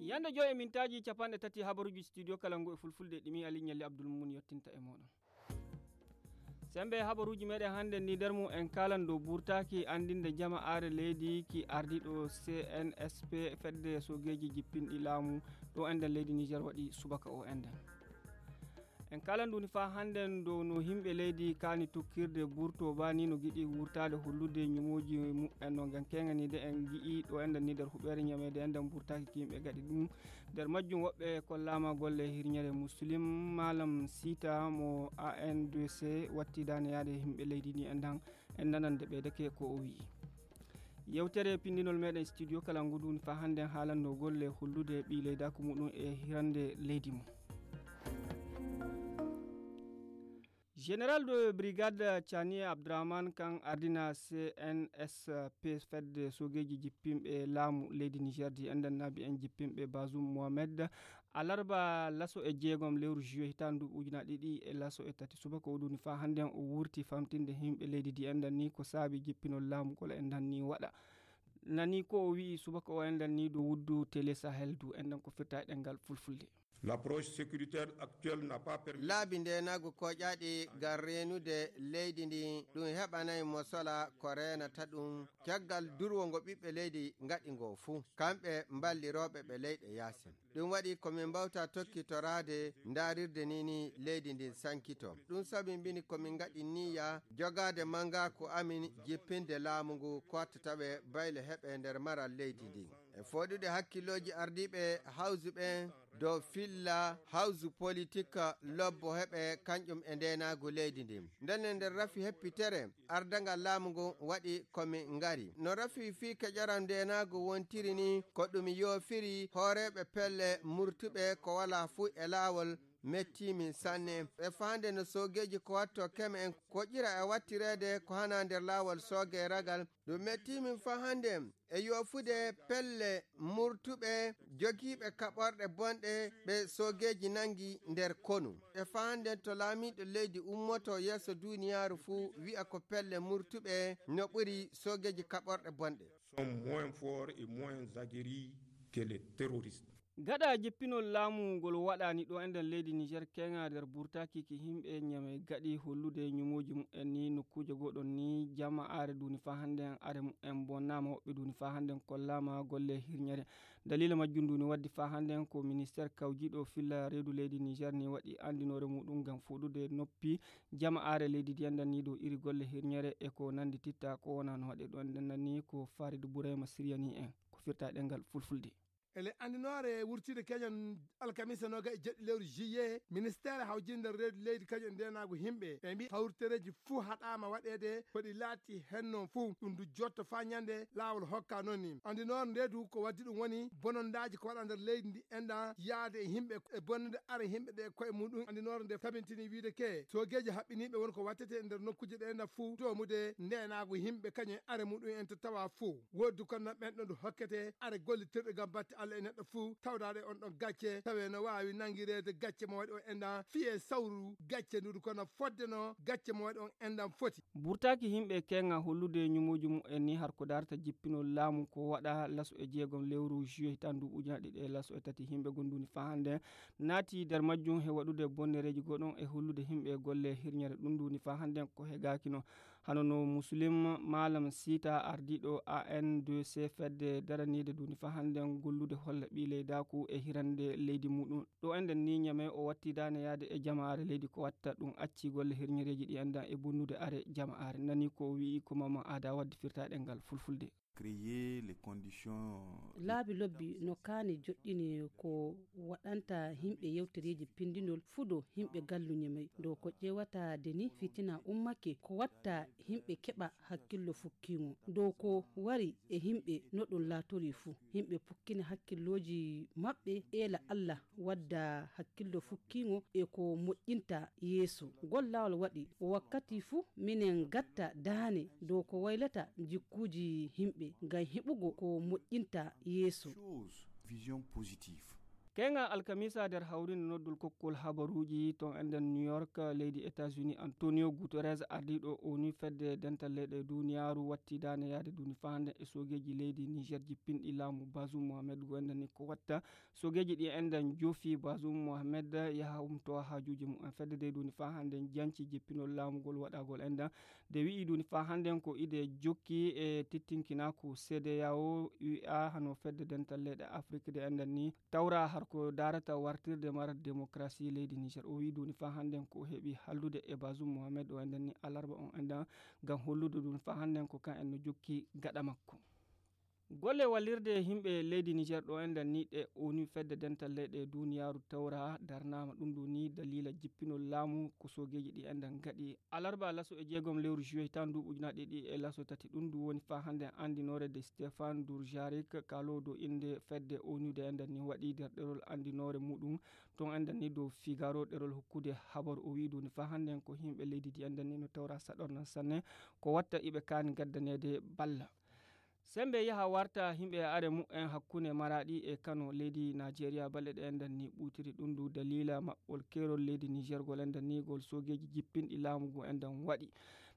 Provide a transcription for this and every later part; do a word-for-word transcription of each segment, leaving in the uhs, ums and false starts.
Yande joy e mintaaji capanɗe tati habaruuji studio kala ngu e fulfulde ɗimi Ali Ñalli Abdul Mumun yottinta e moɗon. Sembe habaruuji meɗen hannde ni nder mum en kalan dow burtaaki anndinde jama are leydi ki ardiɗo C N S P fedde sogeeji jippinɗi laamu ɗo enden leydi Niger waɗi subaka o enden. En kalan nduni fa hannden dow no himɓe leydi kaani tukkirde burto ba ni no giɗi wurtaade hollude ñumooji mumen no ngan keŋaniide en gi'i ɗo enden ni nder huɓeere ñameede enden burtaaki ki yimɓe gaɗi ɗum. Nder majjum woɓɓe kollaama golle hirñere Muslim Malam Sita mo A N D C watti daane yaade himɓe leydi ni endan en nanande ɓeydake ko o wi'i. Yewtere pindinol meɗen studio kala nguduni fa hannden haalanno golle hollude ɓi leydaku muɗum e hirande leydi mum. Général de brigade Chani Abdourahmane kan ardina C N S P fedde sogeeji jippinɓe laamu leydi Niger di enɗan naabi en jippinɓe Bazoum Mohamed alarba laso e jeegom lewru juillet hitaande ndu ujunaaɗe ɗiɗi e laso e tati subaka o ɗuni fa hannden o wurti famtinde himɓe leydi di enɗan ni ko saabi jippinol laamu kolo enɗan ni waɗa. Nani ko o wi'i subaka o enɗan ni dow wuddu Télé Sahel du enɗan ko firta e ɗengal fulfulde. L'approche sécuritaire actuelle n'a pas permis. Laabi ndeenaagu koƴaaɗi ngam reenude leydi ndi ɗum heɓanay mo sola ko reenata ɗum caggal durwo ngo ɓiɓɓe leydi ngaɗi ngo fuu kamɓe mballirooɓe ɓe leyɗe yaasin. Ɗum waɗi ko min mbawta tokkitoraade ndaarirde ni ni leydi ndin sankito. Ɗum sabi mbini ko min ngaɗi niyya jogaade mangaaku amin jippinde laamu ngu ko watta tawe bayle heɓe nder maral leydi ndin. E fooɗude hakkillooji ardiiɓe hawsu ɓen dow filla hawsu politik lobbo heɓe kañƴum e ndeenaagu leydi ndin. Ndenne nder rafi heppitere ardangal laamu ngun waɗi ko min ngari. No rafi fii keƴoral ndeenaagu wontiri ni ko ɗum yoofiri hooreeɓe pelle murtuɓe ko walaa fuu e laawol mettii min sanne. E faande no soogeeji ko watto keme en koƴƴira e wattireede ko hanaa nder laawol soogee ragal. Ɗum mettii min faa hannde e yoofude pelle murtuɓe jogiiɓe kaɓorɗe bonɗe ɓe soogeeji nanngi nder konu. E faa hannde to laamiiɗo leydi ummoto yeeso duuniyaaru fuu wi'a ko pelle murtuɓe no ɓuri soogeeji kaɓorɗe bonɗe. Sont moins forts et moins aguerris que les terroristes. Gaɗa jippinol laamu ngol waɗaani ɗo e nder leydi Niger keŋa nder burtaaki ki himɓe ñame gaɗi hollude ñumooji mumen ni nokkuuje goɗon ni jama are duni fa hannden are mumen bonnaama woɓɓe duni fa hannden kollaama golle hirñere. Dalila majjum duni waddi fa hannden ko ministeer kawjiiɗo filla reedu leydi Niger ni waɗi anndinoore muɗum ngam fuɗude noppi jama are leydi ndiyandan ni dow iri golle hirñere e ko nandi titta ko wona no waɗe ɗo enɗan ni ko Farid Burema Siriyani en ko firta ɗengal fulfulde. Ele anndinoore wurtiide keñen alkamisa nooga e jeɗɗi lewru juillet ministeere hawjinde reedu leydi kañum e ndeenaagu himɓe ɓe mbi hawritereeji fuu haɗaama waɗeede ko ɗi laati hen noon fuu ɗum du jotto faa ñande laawol hokka noon ni anndinoore nde du ko waddi ɗum woni bonondaaji ko waɗa nder leydi ndi enɗan yaade e himɓe e bonnude are himɓe ɗe koye muɗum anndinoore nde tabintini wiide ke soogeeji haɓɓiniiɓe won ko wattete e nder nokkuuje ɗe enɗan fuu doomude ndeenaagu himɓe kañum e are muɗum en to tawa fuu wooddu kono ɓen ɗon du hokkete are gollitirɗe ngam batte Allah e neɗɗo fuu tawdaade on ɗon gacce tawe no waawi nanngireede gacce mo waɗi on enɗan fii e sawru gacce ndu du kono fodde no gacce mo waɗi on enɗan foti. Burtaaki himɓe keŋa hollude ñumooji mumen ni har ko darta jippinol laamu ko waɗa laso e jeegom lewru juillet hitaande ndu ujunaaɗe ɗiɗi e laso e tati himɓe gonduuni fa hannden naati nder majjum he waɗude bonnereeji goɗon e hollude himɓe golle hirñere ɗum ndu ni fa hannden ko hegaaki no hano no Muslim Malam Sita ardiiɗo A N D C fedde daraniide ndu ni fa hannden gollude holla ɓii leydaaku e hirande leydi muɗum ɗo enɗan ni ñame o watti daane yaade e jamaare leydi ko watta ɗum acci golle hirñereeji ɗi enɗan e bonnude are jamaare nani ko o wi'i ko mama aada wadde firta ɗengal fulfulde. Créer les conditions. Laabi lobbi no kaani joɗɗini ko waɗanta himɓe yewtereeji pindinol fudo himɓe galluñe may dow ko ƴeewata de ni fitina ummake ko watta himɓe keɓa hakkillo fukkiŋo dow ko wari e himɓe no ɗum laatori fuu himɓe pukkina hakkillooji maɓɓe eela Allah wadda hakkillo fukkiŋo e ko moƴƴinta yeeso gollawol waɗi wakkati fuu minen gatta daane dow ko waylata jikkuuji himɓe ngam heɓugo ko moƴƴinta yeeso. Vision positive. Keŋal alkamisa nder hawrinde noddol kokkol habaruuji ton enden New York, leydi États-Unis, Antonio Guterres, ardiiɗo onu fedde dental leyɗe duniyaaru, watti daane yaade duni faa hannde e soogeeji leydi Niger jippinɗi laamu Bazoum Mohamed. Go enden ni ko watta soogeeji ɗi enden joofi Bazoum Mohamed yaha humto haajuuji mumen. Fedde dey duni faa hannde janci jippinol laamugol waɗagol enden de wi'i duni faa hannde ko ide jokki e tittinkinaaku C D A O, U A, hano fedde dental leyɗe Afrik de enden ni tawra har ko darata wartirde mara démocratie leydi Niger. O wi'i duni faa hannde ko heɓi hallude e Bazoum Mohamed o enden ni alarba on enden ngam hollude duni faa hannde ko kan en no jokki gaɗa makko. Golle wallirde yimɓe leydi Niger ɗo enden ni ɗe onu fedde dental leyɗe duniyaaru tawra darnaama ɗum ɗo ni dalila jippinol laamu ko soogeeji ɗi enden gaɗi. Alarba laso e jeegom lewru juillet tan duuɓi ujunaaɗe ɗiɗi e laso tati ɗum ndu woni faa hannde anndinoore de Stéphane Dujarric, kaaloodo innde fedde onu de enden ni waɗi nder ɗerol anndinoore muɗum ton enden ni dow Figaro ɗerol hokkude habaru. O wi'i duni faa hannde ko yimɓe leydi di enden ni no tawra saɗornan sanne ko watta iɓe kaani gaddaneede balla. Sembe yaha warta yimɓe e are mumen hakkunde Maraɗi e Kano leydi Najeriya balɗe ɗe enden ni ɓutiri ɗum ndu dalila maɓɓol keerol leydi Niger gol enden ni gol soogeeji jippinɗi laamu ngu enden waɗi.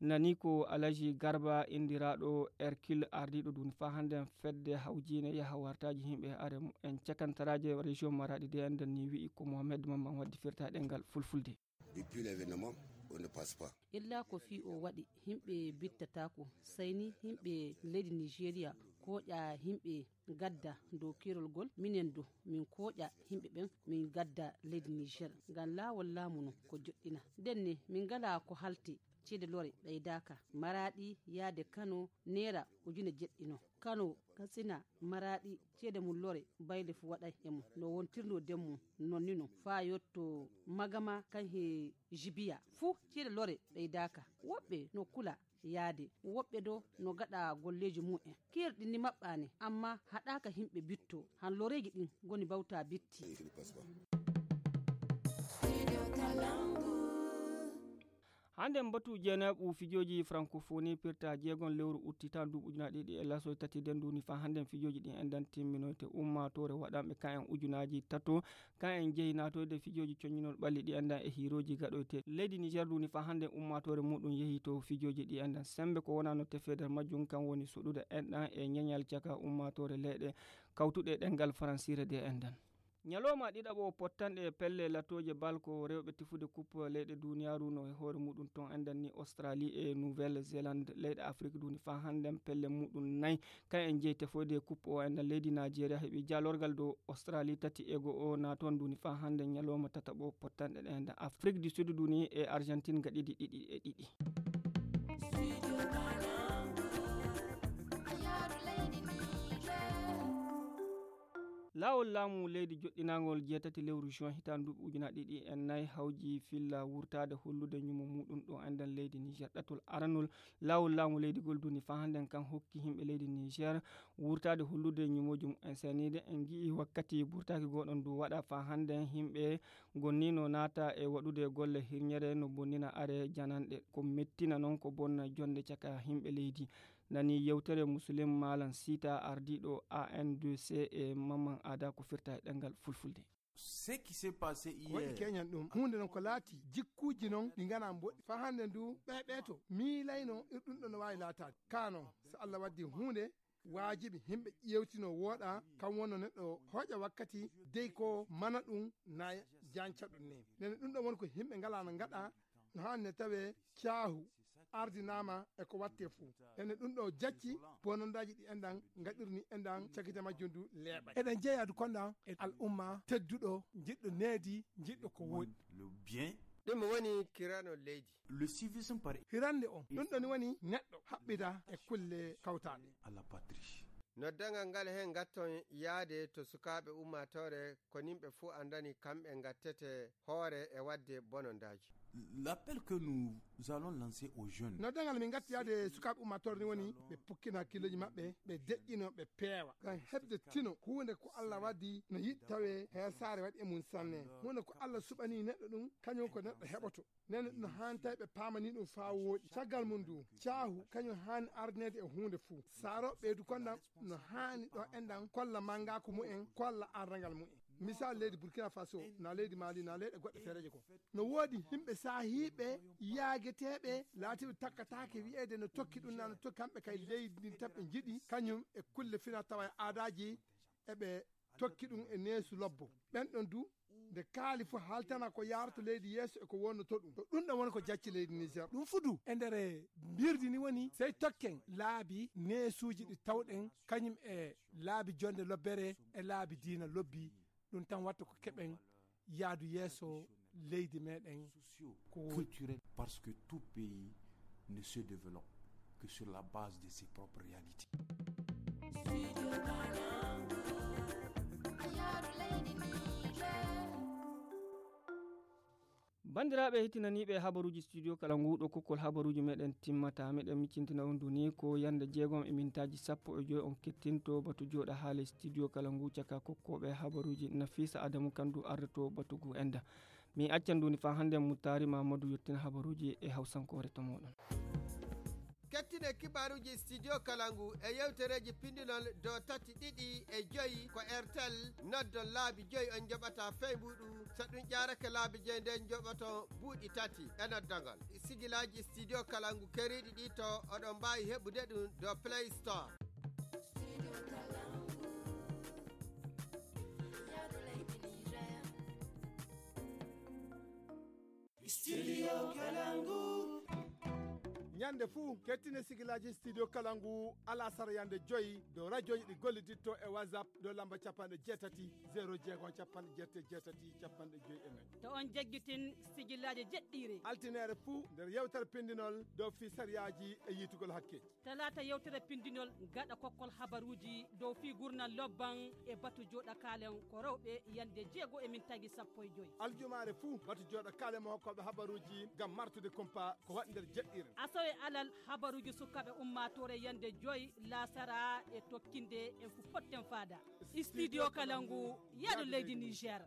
Nani ko Alaji Garba indiraaɗo Hercule ardiiɗo duni faa hannde fedde hawjiine yaha wartaaji yimɓe e are mumen cakantaraaje région Maraɗi de enden ni wi'i ko Mohamed Mamman waddi firta ɗengal fulfulde. Depuis l'événement, on ne passe pas. Illa ko fii o waɗi, yimɓe bittataako, sayni yimɓe leydi Nigeria kooƴa yimɓe gadda dow keerol gol, minen du min kooƴa yimɓe ɓen min gadda leydi Niger. Ngam laawol laamu non ko joɗɗina. Nden ni min ngalaa ko halti, ceede lore ɓeydaaka. Maraɗi yaade Kano neera ujune jeɗɗi non. Kano, Katsina, Maraɗi, ceede mum lore, bayle fu waɗay e mum. No wontirno den mum, non ni non. Faa yotto Magama kan he Jibiya. Fu ceede lore ɓeydaaka. Woɓɓe no kula yaade. Woɓɓe do no gaɗa golleeji mumen. Keerɗi ni maɓɓaani, amma haɗaaka yimɓe bitto. Han loreeji ɗin goni bawta bitti. Hannde mbatu jeeneeɓu fijooji francophonie pirta jeegon lewru utti tan duuɓi ujunaaji ɗiɗi e laso tati nden duni faa hannde fijooji ɗin enden timminoyte ummaatoore waɗanɓe kan en ujunaaji tato kan en jehi naatoyde fijooji coññinol ɓalli ɗi enden e hiirooji gaɗoyte leydi Niger duni faa hannde ummaatoore muɗum yehi to fijooji ɗi enden sembe ko wonano tefeder majjum kan woni suɗude enɗan e ñeñal caka ummaatoore leyɗe kawtuɗe ɗengal faransiire de enden. Ñalawma ɗiɗaɓo pottanɗe pelle latooje bal ko rewɓe tefude coupe leyɗe duniyaaru no e hoore muɗum ton enden ni Australie e Nouvelle Zélande leyɗe Afrique duni faa hannden pelle muɗum nay kan en jeyi tefoyde coupe o enden leydi Nigeria heɓi jaalorgal dow Australie tati e go'o na toon duni faa hannden ñalawma tataɓo pottanɗe ɗe enden Afrique du Sud duni e Argentine gaɗidi ɗiɗi e ɗiɗi. Laawol laamu leydi joɗɗinaangol jeetati lewru juin hitaande duuɓi ujunaaji ɗiɗi e nayi hawji filla wurtaade hollude ñumo muɗum ɗo enden leydi Niger. Ɗatol aranol laawol laamu leydi gol duni faa hannden kan hokki yimɓe leydi Niger wurtaade hollude ñumooji mumen seniiɗe. En ngi'i wakkati burtaaki gooɗon du waɗa faa hannden yimɓe gonnino naata e waɗude golle hirñere no bonnina are jananɗe. Ko mettina non ko bonna jonde caka yimɓe leydi. Nani yewtere Musulim Malam Sita ardiiɗo A N D C e Maman Ada ko firta e ɗemngal fulfulde. Ce qui s'est passé ko waɗi hier keñan ɗum huunde non ko laati jikkuuji non ɗi ngana mboɗi faa hannde ndu ɓeɓeto miilayno ir ɗum ɗo no waawi laataade ka non so Allah waddi huunde waajibi yimɓe ƴeewtino wooɗa kam wonno neɗɗo hooƴa wakkati dey ko mana ɗum na janca ɗum ne nene ɗum ɗo woni ko yimɓe ngalano ngaɗa no haanne tawe caahu ardinaama e ko watte fuu ene ɗum ɗo jacci bonondaaji ɗi enɗan ngaɗirni enɗan cakite majjum du leeɓa eɗen jeeyadu konɗan e al'umma tedduɗo jiɗɗo needi jiɗɗo ko wooɗi le bien ɗum woni kirano leydi le civisme par hirande on ɗum ɗon woni neɗɗo haɓɓita e kulle kawtaaɗe à la patrie. Noddangal ngal heen ngatton yahde to sukaaɓe ummaatoore ko nimɓe fuu anndani kamɓe ngattete hoore e waɗde bonondaaji. L'appel que nous allons lancer aux jeunes. Noddangal min ngatti yahde sukaaɓe ummaatoore ni woni ɓe pukkina hakkilleeji maɓɓe ɓe deƴƴino ɓe peewa ngam heɓde tino huunde ko Allah waɗi no yiɗi tawe heesaare waɗi e mum sanne huunde ko Allah suɓanii neɗɗo ɗum kañum ko neɗɗo heɓoto. Nene no haani tawi ɓe paamani ɗum faa wooɗi caggal mum du caahu kañum haani ardineede e huunde fuu saaro ɓeydu konɗam no haani ɗo enɗam kolla manngaaku mumen kolla arrangal mumen. Misal leydi Burkina Faso, na leydi Mali, na leyɗe goɗɗe feereeje ko. No woodi yimɓe saahiiɓe yaageteeɓe laatiiɓe takkataake wi'eede no tokki ɗum, na no tokki kamɓe kay leydi ndin tan ɓe njiɗi, kañum e kulle fina tawa e aadaaji eɓe tokki ɗum e neesu lobbo. Ɓen ɗon du, nde kaali fof haaltana ko yaarata leydi yeeso e ko wonnoto ɗum. Ko ɗum ɗon woni ko jacci leydi Niger. Ɗum fudu e nder mbirdi ni woni sey tokken laabi neesuuji ɗi tawɗen kañum e laabi jonde lobbere e laabi diina lobbi. Ɗum tan watta ko keɓen yaadu yeeso leydi meɗen ko woɗɗi. Culturel, parce que tout pays ne se développe que sur la base de ses propres réalités. Bandiraɓe hetinaniɓe habaruji studio kala nguɗo kokkol habaruji meɗen timmata, meɗen miccintina on duni ko yande jeegom e mintaji sappo e joyi on kettinto batu joɗa haale studio kala ngu caka kokkoɓe habaruji. Nafisa Adamu Kandu ardoto batu ngu enda. Mi accan duni fa hande Mutari Mamadou yettina habaruji e hawsankore to moɗon. Kettine kibaruji studio kala ngu e yewtereji pindinol do tati ɗiɗi e joyi ko Airtel. Noddon laabi joyi on joɓata fey mbuɗu. So ɗum ƴaarake laabi joyi nden joɓoto buuɗi tati e noddagol. Sigilaji studio kala ngu keriɗi ɗi to oɗon mbawi heɓude ɗum do Play Store. Studio Kalangu. Ñande fuu kettine sigilaji studio kalangu alasara yande joyi dow radioji ɗi golliditto e WhatsApp dow lamba capanɗe jeetati zéro jeegom capanɗe jeetati jeetati capanɗe joyi e nayi. To on jaggitin sigilaji jeɗɗiire altinere fuu nder yewtere pindinol dow fii sariyaji e yitugol hakke. Talaata yewtere pindinol gaɗa kokkol habaruuji dow fii gurnal lobban e batu jooɗa kaalen ko rewɓe yande jeego e min tagi sappo e joyi. Aljumaare fuu batu jooɗa kaalen mo hokkooɓe habaruuji ngam martude kumpa ko waɗi nder jeɗɗiire. Asawe alal habaruuji sukaaɓe ummaatoore yande joyi laasara e tokkinde en fu potten faada. Studio kala ngu yaadu leydi Niger.